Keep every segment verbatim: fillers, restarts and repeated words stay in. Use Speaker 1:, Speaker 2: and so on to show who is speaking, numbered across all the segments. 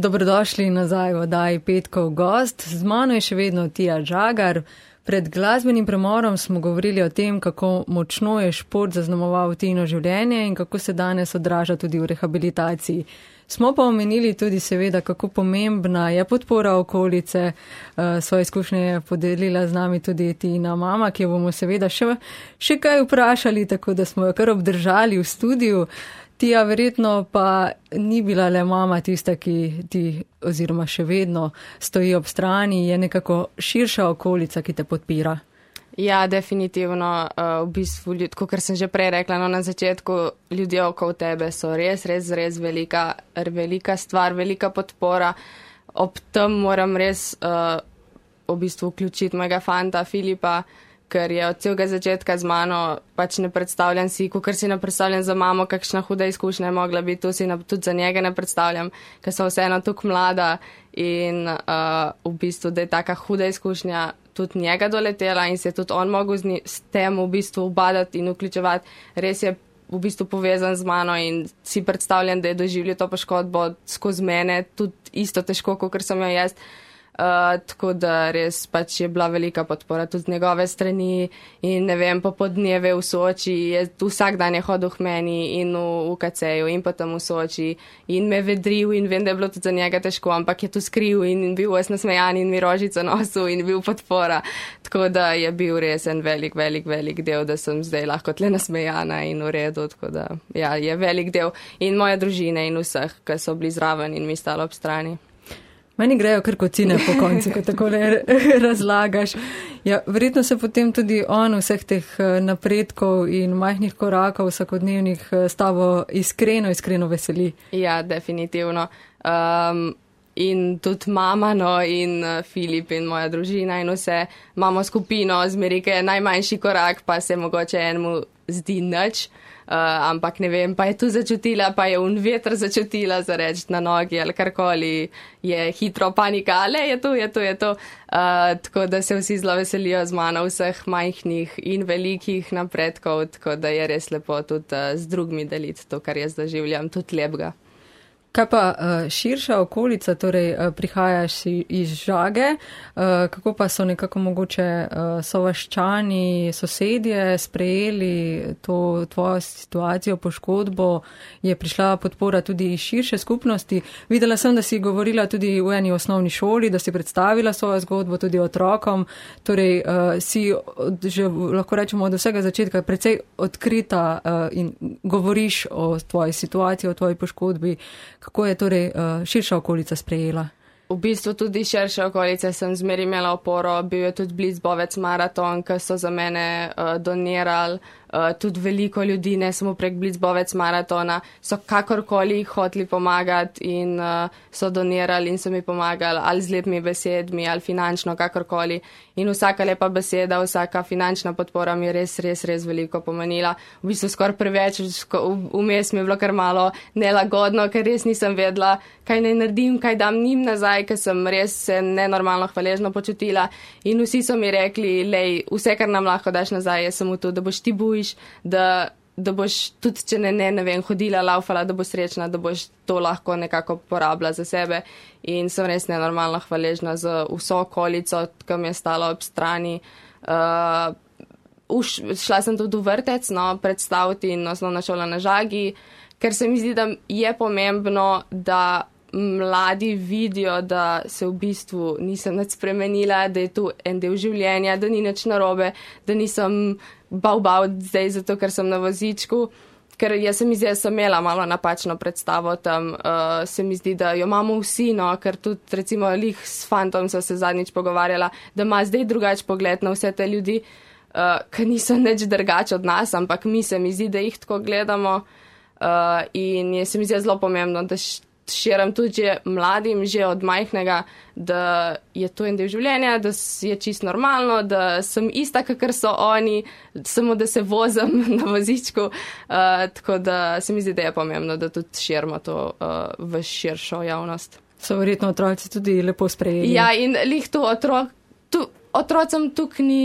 Speaker 1: Dobrodošli nazaj v oddaji Petkov gost. Z mano je še vedno Tija Žagar. Pred glasbenim premorom smo govorili o tem, kako močno je šport zaznamoval Tino življenje in kako se danes odraža tudi v rehabilitaciji. Smo pa omenili tudi seveda, kako pomembna je podpora okolice. Svoje izkušnje je podelila z nami tudi Tina mama, ki jo bomo seveda še, še kaj vprašali, tako da smo jo kar obdržali v studiu. Tija, verjetno pa ni bila le mama tista, ki ti oziroma še vedno stoji ob strani, je nekako širša okolica, ki te podpira.
Speaker 2: Ja, definitivno. V bistvu, kot sem že prej rekla, no, na začetku ljudje okoli tebe so res, res, res velika, velika stvar, velika podpora. Ob tem moram res uh, v bistvu vključiti mojega fanta Filipa, ker je od celega začetka z mano, pač ne predstavljam si, ker si ne predstavljam za mamo, kakšna huda izkušnja je mogla biti, to si na, tudi za njega ne predstavljam, ker sem vseeno tukaj mlada in uh, v bistvu, da je taka huda izkušnja tudi njega doletela in se je tudi on mogel z, ni, s tem v bistvu ubadati in vključevati. Res je v bistvu povezan z mano in si predstavljam, da je doživljal to poškodbo skozi mene, tudi isto težko, kot sem jo jaz. Uh, tako da res pač je bila velika podpora tudi z njegove strani in ne vem, po podneve v Soči, je, vsak dan je hodil k meni in v U K C-ju in potem v Soči in me vedril in vem, da je bilo tudi za njega težko, ampak je tu skril in bil ves nasmejan in mi rožico nosil in bil podpora. Tako da je bil res en velik, velik, velik del, da sem zdaj lahko tle nasmejana in v redu, tako da ja, je velik del in moja družina in vseh, ki so bili zraven in mi stalo ob strani.
Speaker 1: Meni grejo kar kocine po koncu, ko tako razlagaš. Ja, verjetno se potem tudi on vseh teh napredkov in majhnih korakov vsakodnevnih s tabo iskreno, iskreno veseli.
Speaker 2: Ja, definitivno. Um, in tudi mama, no, in Filip in moja družina in vse. Imamo skupino, zmeri, ki je najmanjši korak, pa se mogoče enemu zdi nič. Uh, ampak ne vem, pa je tu začutila, pa je un veter začutila za reči na nogi ali karkoli, je hitro panika, ale je to, je to, je to. Uh, tako da se vsi zelo veselijo z mano vseh majhnih in velikih napredkov, tako da je res lepo tudi uh, z drugimi deliti to, kar jaz doživljam, tudi lepega.
Speaker 1: Kaj pa širša okolica, torej prihajaš iz Žage, kako pa so nekako mogoče sovaščani, sosedje sprejeli to tvojo situacijo, poškodbo, je prišla podpora tudi iz širše skupnosti. Videla sem, da si govorila tudi v eni osnovni šoli, da si predstavila svojo zgodbo tudi otrokom, torej si že lahko rečemo od vsega začetka precej odkrita in govoriš o tvoji situaciji, o tvoji poškodbi. Kako je torej uh, širša okolica sprejela?
Speaker 2: V bistvu tudi širša okolica sem zmeri imela oporo, bil je tudi Blitzbovec maraton, ki so za mene uh, donirali, uh, tudi veliko ljudi, ne samo prek Blitzbovec maratona, so kakorkoli hoteli pomagati in uh, so donirali in so mi pomagali ali z lepimi besedmi ali finančno, kakorkoli. In vsaka lepa beseda, vsaka finančna podpora mi je res, res, res veliko pomenila. V bistvu skoraj preveč, vmes mi je bilo kar malo nelagodno, ker res nisem vedela, kaj naj naredim, kaj dam njim nazaj, ker sem res se nenormalno hvaležno počutila. In vsi so mi rekli, lej, vse, kar nam lahko daš nazaj, je samo to, da boš ti bujiš, da, da boš tudi, če ne, ne, ne vem, hodila, laufala, da boš srečna, da boš to lahko nekako porabila za sebe. In sem res nenormalno hvaležna za vso okolico, ki mi je stala ob strani. Uh, uš, šla sem tudi v vrtec, no, predstaviti in osnovna šola na Žagi, ker se mi zdi, da je pomembno, da mladi vidijo, da se v bistvu nisem nič spremenila, da je tu en del življenja, da ni nič narobe, da nisem bav bav zdaj zato, ker sem na vozičku. Ker jaz se mi zdi, da sem imela malo napačno predstavo tam, uh, se mi zdi, da jo imamo vsi, no, ker tudi recimo lih s fantom so se zadnjič pogovarjala, da ima zdaj drugač pogled na vse te ljudi, uh, ki niso nič drugač od nas, ampak mi se mi zdi, da jih tako gledamo uh, in je se mi zdi zelo pomembno, da širim tudi že mladim, že od majhnega, da je to en del življenja, da je čisto normalno, da sem ista, kakor so oni, samo da se vozim na vozičku. Uh, tako da se mi zdi, da je pomembno, da tudi širimo to uh, v širšo javnost.
Speaker 1: So verjetno otroci tudi lepo sprejeli.
Speaker 2: Ja, in lih to otrok, tu, otrocem tukaj ni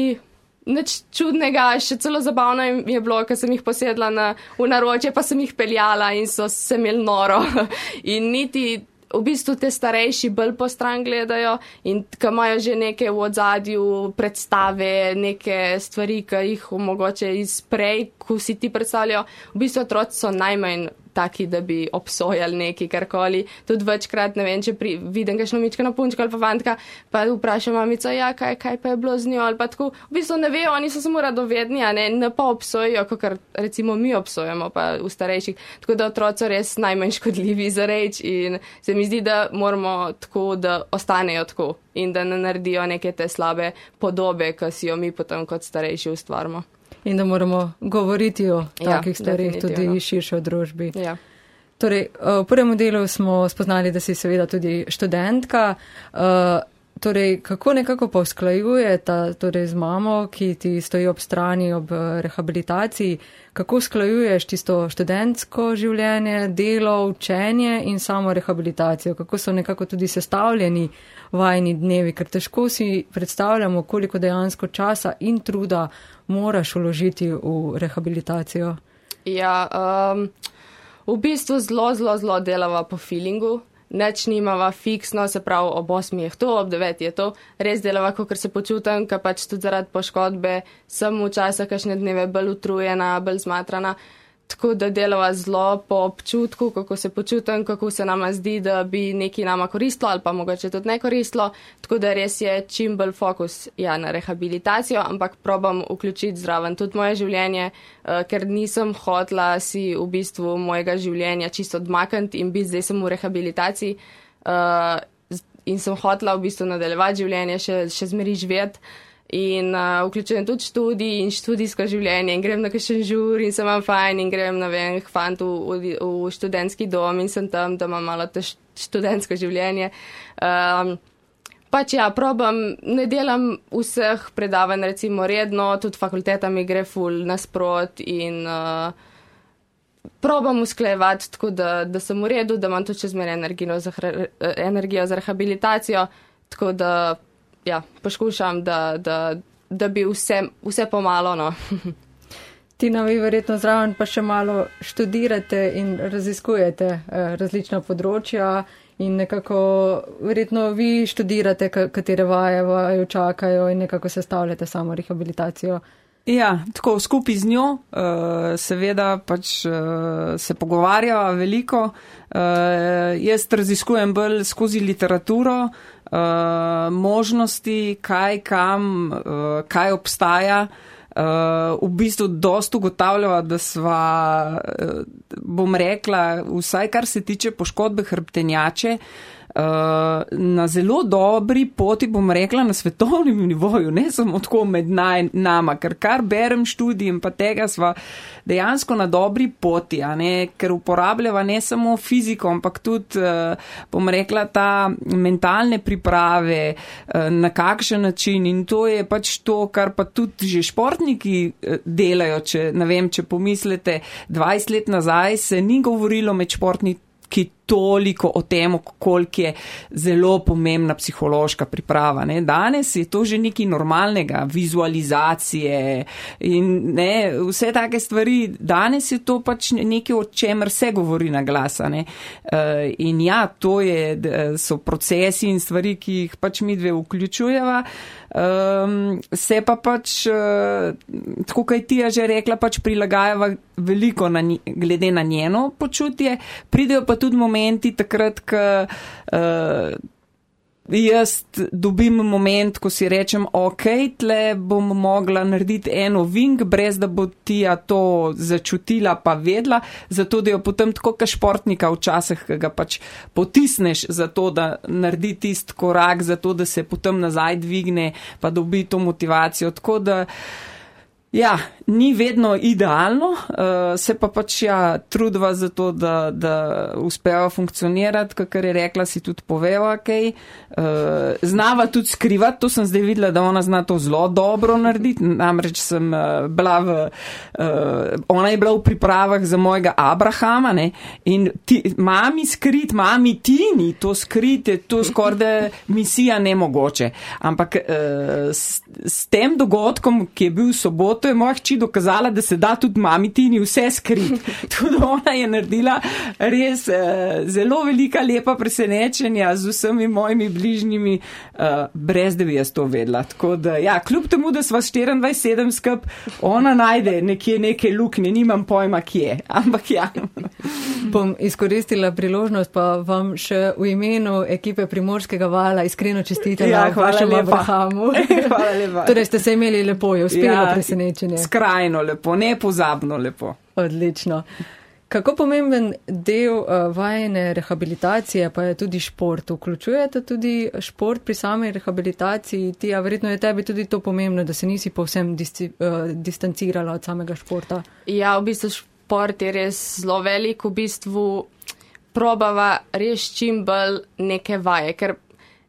Speaker 2: nič čudnega, še celo zabavno je bilo, ker sem jih posedla na, v naročje, pa sem jih peljala in so se imeli noro. In niti v bistvu te starejši bolj po stran gledajo in ko imajo že neke v odzadju predstave, neke stvari, ki jih mogoče izprej, ko si ti predstavljajo, v bistvu otroci so najmanj taki, da bi obsojali neki karkoli. Tudi večkrat, ne vem, če pri, vidim kakšno mičkano punčko ali pa fantka, pa vprašam mamico, ja, kaj, kaj pa je bilo z njo, ali pa tako. V bistvu ne vejo, oni so samo radovedni, a ne, ne pa obsojajo, kot recimo mi obsojamo pa v starejših. Tako da otroci so res najmanj škodljivi za reč in se mi zdi, da moramo tako, da ostanejo tako in da ne naredijo neke te slabe podobe, ki si jo mi potem kot starejši ustvarimo.
Speaker 1: In da moramo govoriti o takih ja, stvarih tudi širše v družbi.
Speaker 2: Ja.
Speaker 1: Torej, v prvem delu smo spoznali, da si seveda tudi študentka. Torej, kako nekako pa usklajujete torej, z mamo, ki ti stoji ob strani ob rehabilitaciji, kako usklajuješ tisto študentsko življenje, delo, učenje in samo rehabilitacijo? Kako so nekako tudi sestavljeni vajni dnevi, ker težko si predstavljamo, koliko dejansko časa in truda moraš vložiti v rehabilitacijo.
Speaker 2: Ja, um, v bistvu zelo, zelo, zelo delava po feelingu. Neč nimava fiksno, se pravi, ob osmi je to, ob deveti je to. Res delava, kakor se počutam, ker pač tudi zaradi poškodbe sem včasih kakšne dneve bolj utrujena, bolj zmatrana. Tako da delava zelo po občutku, kako se počutam, kako se nama zdi, da bi nekaj nama koristilo ali pa mogoče tudi ne koristilo. Tako da res je čim bolj fokus ja, na rehabilitacijo, ampak probam vključiti zraven tudi moje življenje, uh, ker nisem hotla si v bistvu mojega življenja čisto odmakniti in biti zdaj sem v rehabilitaciji uh, in sem hotla v bistvu nadaljevati življenje, še, še zmeri živeti. In uh, vključujem tudi študij in študijsko življenje in grem na kakšen žur in sem vam fajn in grem na vem, k fantu v, v študentski dom in sem tam, da imam malo to študentsko življenje. Um, pač ja, probam, ne delam vseh predavanj recimo redno, tudi fakulteta mi gre ful nasprot in uh, probam usklajevati tako, da, da sem v redu, da imam tudi čez mene energijo za, energijo za rehabilitacijo, tako da ja, poskušam, da, da, da bi vse, vse pomalo, no.
Speaker 1: Tina, vi verjetno zraven pa še malo študirate in raziskujete eh, različna področja in nekako verjetno vi študirate, katere vaje vaju čakajo in nekako sestavljate samo rehabilitacijo.
Speaker 3: Ja, tako skupaj z njo, uh, seveda pač uh, se pogovarjava veliko. Uh, jaz raziskujem bolj skozi literaturo, uh, možnosti, kaj, kam, uh, kaj obstaja. Uh, v bistvu dost ugotavljava, da sva, uh, bom rekla, vsaj kar se tiče poškodbe hrbtenjače, Uh, na zelo dobri poti, bom rekla, na svetovnem nivoju, ne samo tako med naj, nama, ker kar berem študij in pa tega sva dejansko na dobri poti, a ne, ker uporabljava ne samo fiziko, ampak tudi, uh, bom rekla, ta mentalne priprave, uh, na kakšen način in to je pač to, kar pa tudi že športniki uh, delajo, če, ne vem, če pomislite, dvajset let nazaj se ni govorilo med športniki ki toliko o tem, koliko je zelo pomembna psihološka priprava. Ne. Danes je to že nekaj normalnega, vizualizacije in ne, vse take stvari. Danes je to pač nekaj, o čemer se govori na glas. Ne. Uh, in ja, to je, so procesi in stvari, ki jih pač mi dve vključujeva. Um, se pa pač, uh, tako kaj ti je že rekla, pač prilagajava veliko na, glede na njeno počutje. Pridejo pa tudi momenti takrat, ko uh, jaz dobim moment, ko si rečem, ok, tle bom mogla narediti eno ving, brez da bo Tija to začutila pa vedla, zato da jo potem tako ka športnika včasih, ki ga pač potisneš za to, da naredi tist korak, zato da se potem nazaj dvigne, pa dobi to motivacijo. Tako da ja, ni vedno idealno, uh, se pa pač ja, trudva za to, da, da uspeva funkcionirati, kakor je rekla, si tudi poveva, kaj. Uh, znava tudi skrivati, to sem zdaj videla, da ona zna to zelo dobro narediti, namreč sem uh, bila v, uh, ona je bila v pripravah za mojega Abrahama, ne, in ti, mami skrit, mami Tini, to skrit je to skoraj misija nemogoče. Ampak uh, s, s tem dogodkom, ki je bil v soboto, športu je moja hči dokazala, da se da tudi mami Tini vse skriti. Tudi ona je naredila res uh, zelo velika, lepa presenečenja z vsemi mojimi bližnjimi, uh, brez da bi jaz to vedela. Tako da, ja, kljub temu, da sva štiriindvajset sedem skup, ona najde nekje neke luknje, nimam pojma, kje. Ampak ja.
Speaker 1: Bom izkoristila priložnost, pa vam še v imenu ekipe Primorskega vala iskreno čestitela
Speaker 3: Ja,
Speaker 1: v vašem Abrahamu.
Speaker 3: Hvala lepa.
Speaker 1: Torej ste se imeli lepo, je uspelo
Speaker 3: Ja,
Speaker 1: presenečenje.
Speaker 3: Skrajno lepo, nepozabno lepo.
Speaker 1: Odlično. Kako pomemben del uh, vajene rehabilitacije pa je tudi šport? Vključujete tudi šport pri sami rehabilitaciji? Ti, a verjetno je tebi tudi to pomembno, da se nisi povsem disci, uh, distancirala od samega športa?
Speaker 2: Ja, v bistvu šport je res zelo velik, v bistvu probava res čim bolj neke vaje, ker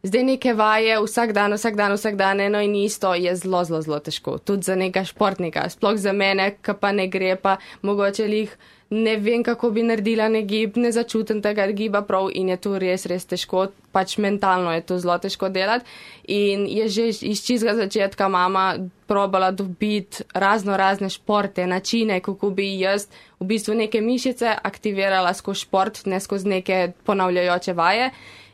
Speaker 2: zdaj neke vaje vsak dan, vsak dan, vsak dan eno in isto je zelo, zelo, zelo težko. Tudi za nekega športnika, sploh za mene, ki pa ne gre, pa mogoče lih ne vem, kako bi naredila ne gib, ne začutim tega giba prav in je to res, res težko, pač mentalno je to zelo težko delati in je že iz čistega začetka mama probala dobiti razno razne športe, načine, kako bi jaz v bistvu neke mišice aktivirala skozi šport, ne skozi neke ponavljajoče vaje.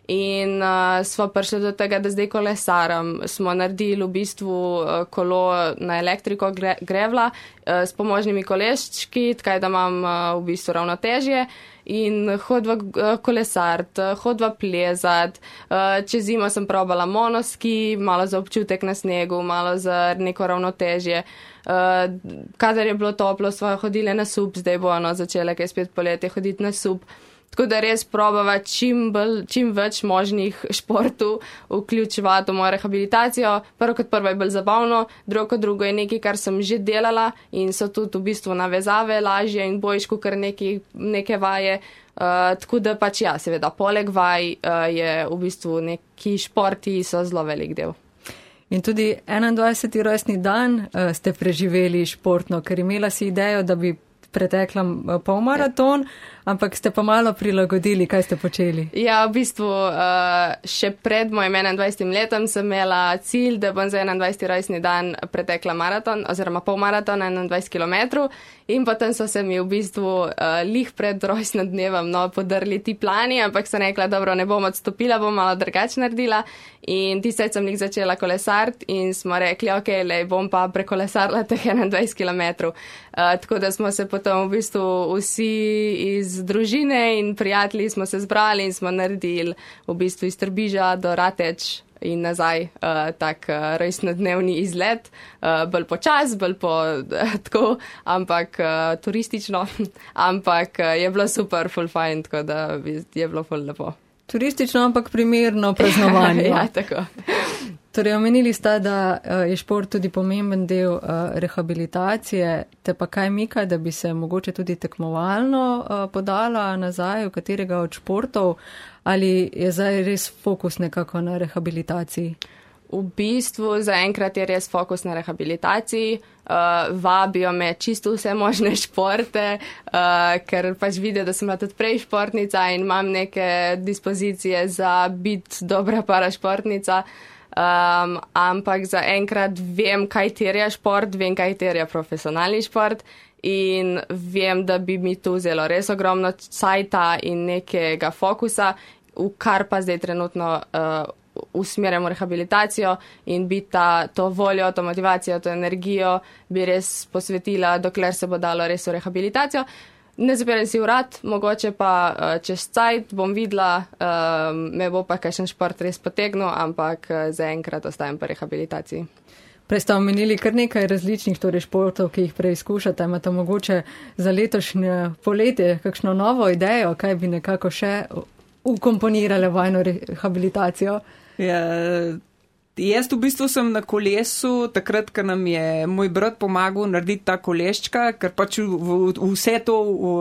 Speaker 2: In uh, smo prišli do tega, da zdaj kolesaram. Smo naredili v bistvu uh, kolo na elektriko gre, grevla uh, s pomožnimi koleščki, tkaj da imam uh, v bistvu ravnotežje in hodva uh, kolesart, uh, hodva plezat. Uh, čez zimo sem probala monoski, malo za občutek na snegu, malo za neko ravnotežje. Uh, kadar je bilo toplo, smo hodile na sup, zdaj bo ono začele, kaj spet poletje, hoditi na sup. Tako da res probava čim, bolj, čim več možnih športov vključevati v mojo rehabilitacijo. Prvo kot prvo je bolj zabavno, drugo kot drugo je nekaj, kar sem že delala in so tudi v bistvu navezave lažje in bojiško, kar neki, neke vaje. Uh, tako da pač ja, seveda, poleg vaj uh, je v bistvu neki športi so zelo velik del.
Speaker 1: In tudi enaindvajseti rojstni dan uh, ste preživeli športno, ker imela si idejo, da bi pretekla polmaraton, ampak ste pa malo prilagodili, kaj ste počeli? Ja,
Speaker 2: v bistvu uh, še pred mojim enaindvajsetim letom sem imela cilj, da bom za enaindvajseti rojstni dan pretekla maraton, oziroma polmaraton enaindvajset kilometrov in potem so se mi v bistvu uh, lih pred rojstnim dnevom no, podrli ti plani, ampak sem rekla, dobro, ne bom odstopila, bom malo drugače naredila in tisaj sem lih začela kolesart in smo rekli, ok, lej, bom pa prekolesarila teh enaindvajset kilometrov. Uh, tako da smo se potem v bistvu vsi iz družine in prijatelji smo se zbrali in smo naredili v bistvu iz Trbiža do Rateč in nazaj uh, tak uh, rojstnodnevni izlet, uh, bolj počas, bolj po uh, tako, ampak uh, turistično, ampak uh, je bilo super, full fine, tako da je bilo full lepo.
Speaker 1: Turistično, ampak primerno praznovanje.
Speaker 2: Ja, tako.
Speaker 1: Torej, omenili sta, da je šport tudi pomemben del rehabilitacije, te pa kaj mika, da bi se mogoče tudi tekmovalno podala nazaj v katerega od športov, ali je zdaj res fokus nekako na rehabilitaciji?
Speaker 2: V bistvu zaenkrat je res fokus na rehabilitaciji, uh, vabijo me čisto vse možne športe, uh, ker pač vidijo, da sem bila tudi prej športnica in imam neke dispozicije za biti dobra parašportnica. Um, ampak zaenkrat vem, kaj terja šport, vem, kaj terja profesionalni šport in vem, da bi mi to vzelo res ogromno cajta in nekega fokusa, v kar pa zdaj trenutno uh, usmerjamo rehabilitacijo in bi ta, to voljo, to motivacijo, to energijo bi res posvetila, dokler se bo dalo res v rehabilitacijo. Ne zapiram si vrat, mogoče pa uh, čez cajt bom videla, uh, me bo pa kakšen šport res potegnil, ampak uh, zaenkrat ostajam po rehabilitaciji.
Speaker 1: Prej ste omenili kar nekaj različnih torej športov, ki jih preizkušate. Imate mogoče za letošnje poletje kakšno novo idejo, kaj bi nekako še ukomponirale vajno rehabilitacijo?
Speaker 3: Ja, jaz v bistvu sem na kolesu, takrat, ko nam je moj brat pomagal narediti ta koleščka, ker pač v, v, vse to, v,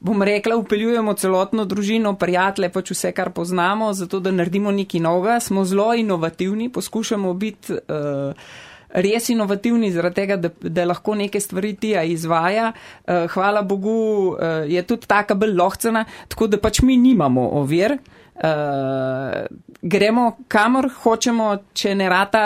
Speaker 3: bom rekla, upeljujemo celotno družino, prijatelje, pač vse, kar poznamo, zato da naredimo nekaj novega. Smo zelo inovativni, poskušamo biti uh, res inovativni, zaradi tega, da, da lahko neke stvari tija izvaja. Uh, hvala Bogu, uh, je tudi taka bolj lohcena, tako da pač mi nimamo ovir. uh, gremo kamor hočemo, če ne rata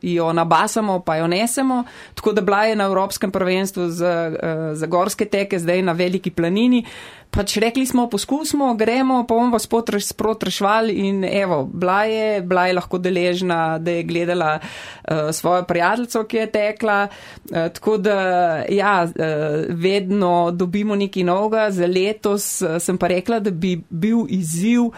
Speaker 3: jo nabasamo, pa jo nesemo, tako da bila je na Evropskem prvenstvu za, uh, za gorske teke, zdaj na Veliki planini. Pač rekli smo, poskusimo, gremo, pa bomo vas sprot rešvali in evo, bila je, bila je lahko deležna, da je gledala uh, svojo prijateljico, ki je tekla, uh, tako da ja, uh, vedno dobimo nekaj novega. Za letos uh, sem pa rekla, da bi bil izziv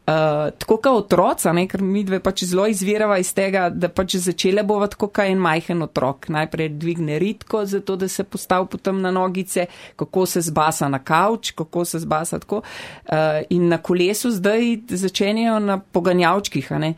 Speaker 3: Uh, tako kao otroca, ne, ker mi dve pač zelo izvirava iz tega, da pač začele bova tako kao en majhen otrok. Najprej dvigne ritko, zato da se postavi potem na nogice, kako se zbasa na kavč, kako se zbasa tako. Uh, in na kolesu zdaj začenjajo na poganjavčkih, a ne.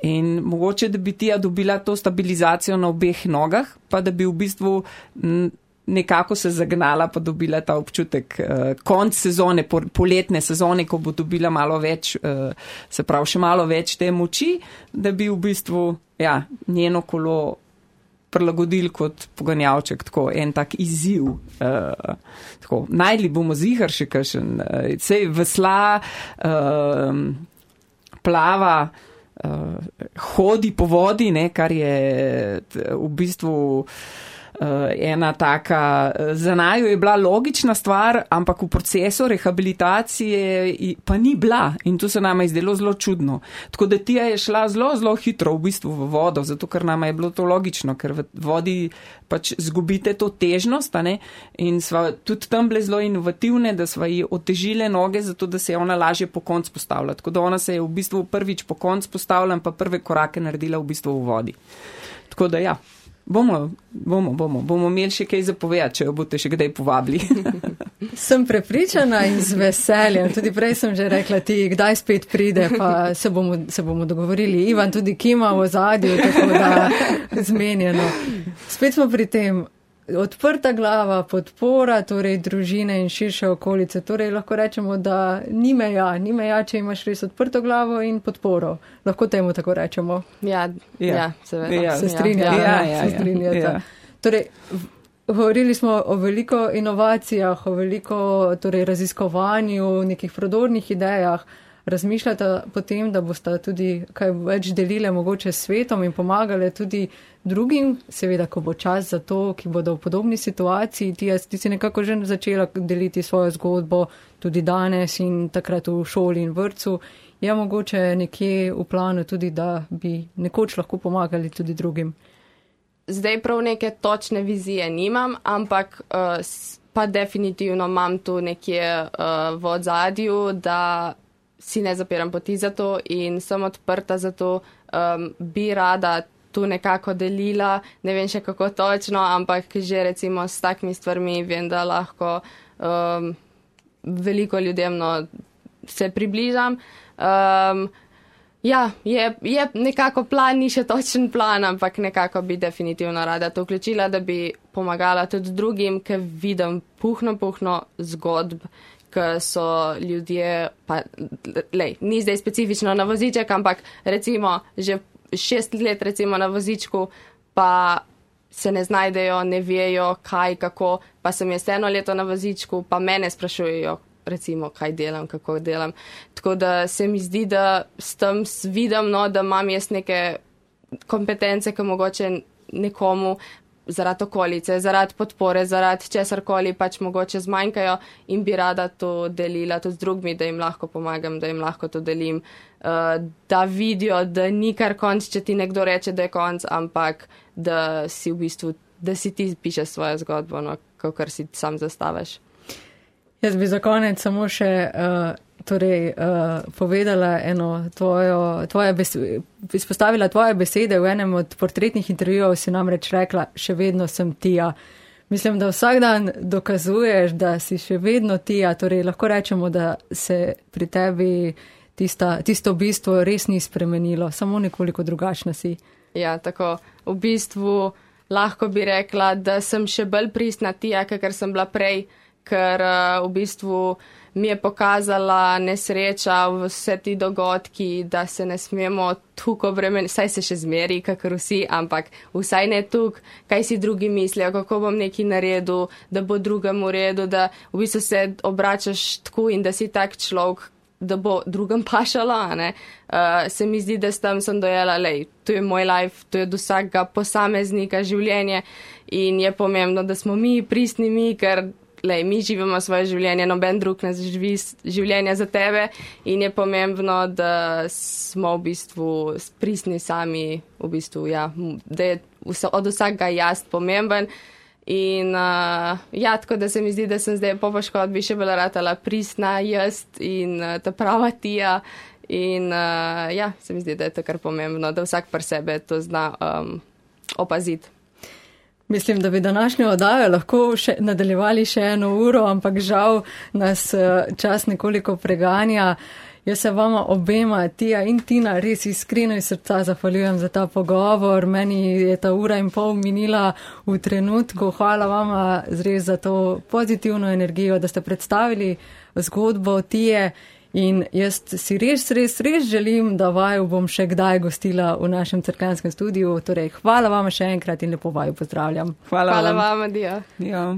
Speaker 3: In mogoče, da bi tija dobila to stabilizacijo na obeh nogah, pa da bi v bistvu m, nekako se zagnala, pa dobila ta občutek uh, konc sezone, poletne sezone, ko bo dobila malo več, uh, se pravi še malo več te moči, da bi v bistvu ja, njeno kolo prilagodili kot poganjavček, tako en tak izziv. Uh, tako, najdli bomo zihar še kakšen, uh, sej vesla, uh, plava, uh, hodi po vodi, ne, kar je v bistvu Uh, ena taka, za naju je bila logična stvar, ampak v procesu rehabilitacije pa ni bila in to se nama je zdelo zelo čudno. Tako da Tija je šla zelo, zelo hitro v bistvu v vodo, zato ker nama je bilo to logično, ker v vodi pač zgubite to težnost, a ne, in sva tudi tam bile zelo inovativne, da sva ji otežile noge, zato da se je ona lažje po konc postavila. Tako da ona se je v bistvu prvič po konc postavila in pa prve korake naredila v bistvu v vodi. Tako da ja. Bomo, bomo, bomo, bomo imeli še kaj zapovedati, če jo boste še kdaj povabili.
Speaker 1: Sem prepričana in z veseljem. Tudi prej sem že rekla ti, kdaj spet pride, pa se bomo, se bomo dogovorili. Ivan tudi kima v ozadju, tako da zmenjeno. Spet smo pri tem. Odprta glava, podpora, torej družine in širše okolice. Torej lahko rečemo, da ni meja, ni meja, če imaš res odprto glavo in podporo. Lahko temu tako rečemo.
Speaker 2: Ja, ja, ja seveda.
Speaker 1: Ja, se strinjata. Ja, ja, se strinjata. Ja. Torej, govorili smo o veliko inovacijah, o veliko torej, raziskovanju, nekih prodornih idejah. Razmišljata potem, da boste tudi kaj več delile mogoče s svetom in pomagale tudi drugim, seveda, ko bo čas za to, ki bodo v podobni situaciji. Ti, ti si nekako že začela deliti svojo zgodbo tudi danes in takrat v šoli in vrtcu. Je mogoče nekje v planu tudi, da bi nekoč lahko pomagali tudi drugim?
Speaker 2: Zdaj prav neke točne vizije nimam, ampak uh, pa definitivno imam tu nekje uh, v odzadju, da si ne zapiram poti za to in sem odprta za to, um, bi rada tu nekako delila, ne vem še kako točno, ampak že recimo s takimi stvarmi vem, da lahko um, veliko ljudem no, se približam. Um, ja, je, je nekako plan, ni še točen plan, ampak nekako bi definitivno rada to vključila, da bi pomagala tudi drugim, ker vidim puhno, puhno zgodb, ki so ljudje, pa lej, ni zdaj specifično na voziček, ampak recimo že šest let recimo na vozičku, pa se ne znajdejo, ne vejo kaj, kako, pa sem jaz eno leto na vozičku, pa mene sprašujejo, recimo, kaj delam, kako delam. Tako da se mi zdi, da s tem vidim, no, da imam jaz neke kompetence, ki mogoče nekomu zaradi okolice, zaradi podpore, zaradi česarkoli pač mogoče zmanjkajo in bi rada to delila tudi z drugimi, da jim lahko pomagam, da jim lahko to delim, uh, da vidijo, da ni kar konc, če ti nekdo reče, da je konc, ampak da si v bistvu, da si ti pišeš svojo zgodbo, no, kakor si sam zastaviš.
Speaker 1: Jaz bi za konec samo še uh, torej, uh, povedala eno tvojo, tvoje besede, izpostavila tvoje besede v enem od portretnih intervjujev, si namreč rekla, še vedno sem Tija. Mislim, da vsak dan dokazuješ, da si še vedno Tija, torej lahko rečemo, da se pri tebi tista, tisto bistvo res ni spremenilo, samo nekoliko drugačna si.
Speaker 2: Ja, tako, v bistvu lahko bi rekla, da sem še bolj pristna Tija, kakor sem bila prej, ker uh, v bistvu mi je pokazala nesreča v vse ti dogodki, da se ne smemo tukaj obremeniti, saj se še zmeri, kakor vsi, ampak vsaj ne tukaj, kaj si drugi mislijo, kako bom nekaj naredil, da bo drugemu redu, da v bistvu se obračaš tako in da si tak človek, da bo drugem pašalo, ne. Uh, se mi zdi, da tam sem dojela, lej, to je moj life, to je od vsakega posameznika življenje in je pomembno, da smo mi pristni mi, ker lej, mi živimo svoje življenje, noben drug ne živi življenje za tebe in je pomembno, da smo v bistvu pristni sami, v bistvu, ja, da je od vsakega jaz pomemben. In uh, ja, tako da se mi zdi, da sem zdaj po poškodbi še bolj ratala pristna jaz in uh, ta prava Tija. In uh, ja, se mi zdi, da je to kar pomembno, da vsak pri sebe to zna um, opaziti.
Speaker 1: Mislim, da bi današnjo oddajo lahko še nadaljevali še eno uro, ampak žal nas uh, čas nekoliko preganja. Jaz se vama obema, Tija in Tina, res iskreno iz srca zahvaljujem za ta pogovor. Meni je ta ura in pol minila v trenutku. Hvala vama res za to pozitivno energijo, da ste predstavili zgodbo Tije. In jaz si res, res, res želim, da vaju bom še kdaj gostila v našem Cerkljanskem studiu. Torej, hvala vama še enkrat in lepo vaju pozdravljam.
Speaker 3: Hvala,
Speaker 2: hvala
Speaker 3: vam.
Speaker 2: vama, Dija.
Speaker 3: Ja.